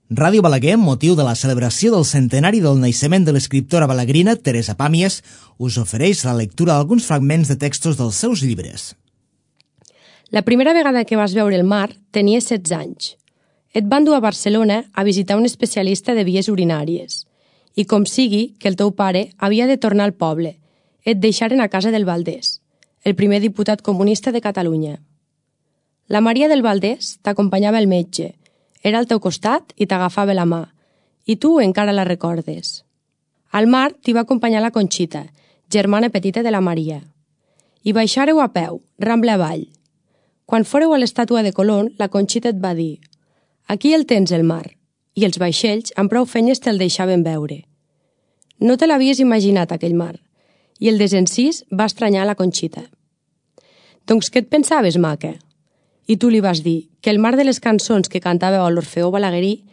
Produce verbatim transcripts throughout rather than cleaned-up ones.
Ràdio Balaguer, amb motiu de la celebració del centenari del naixement de l'escriptora balaguerina Teresa Pàmies, us ofereix la lectura d'alguns fragments de textos dels seus llibres. La primera vegada que vas veure el mar tenies setze anys. Et van dur a Barcelona a visitar un especialista de vies urinàries. I com sigui que el teu pare havia de tornar al poble, et deixaren a casa del Valdés, el primer diputat comunista de Catalunya. La Maria del Valdés t'acompanyava al metge, era al teu costat i t'agafava la mà, i tu encara la recordes. Al mar t'hi va acompanyar la Conxita, germana petita de la Maria. I baixàreu a peu, Rambla avall. Quan fóreu a l'estàtua de Colón, la Conxita et va dir: «Aquí el tens, el mar», i els vaixells amb prou feines te'l deixaven veure. No te l'havies imaginat, aquell mar, i el desencís va estranyar la Conxita. «Doncs què et pensaves, maca?» I tu li vas dir que el mar de les cançons que cantava a l'Orfeó Balaguerí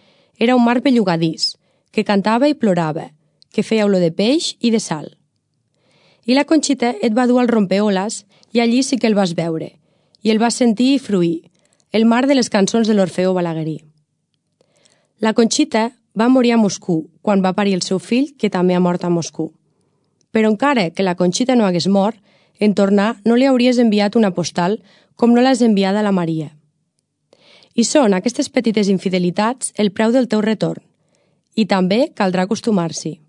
era un mar bellugadís, que cantava i plorava, que feia olor de peix i de sal. I la Conxita et va dur al rompeoles i allí sí que el vas veure, i el vas sentir i fruir, el mar de les cançons de l'Orfeó Balaguerí. La Conxita va morir a Moscou quan va parir el seu fill, que també ha mort a Moscou. Però encara que la Conxita no hagués mort, en tornar no li hauries enviat una postal com no l'has enviada a la Maria. I són aquestes petites infidelitats el preu del teu retorn, i també caldrà acostumar-s'hi.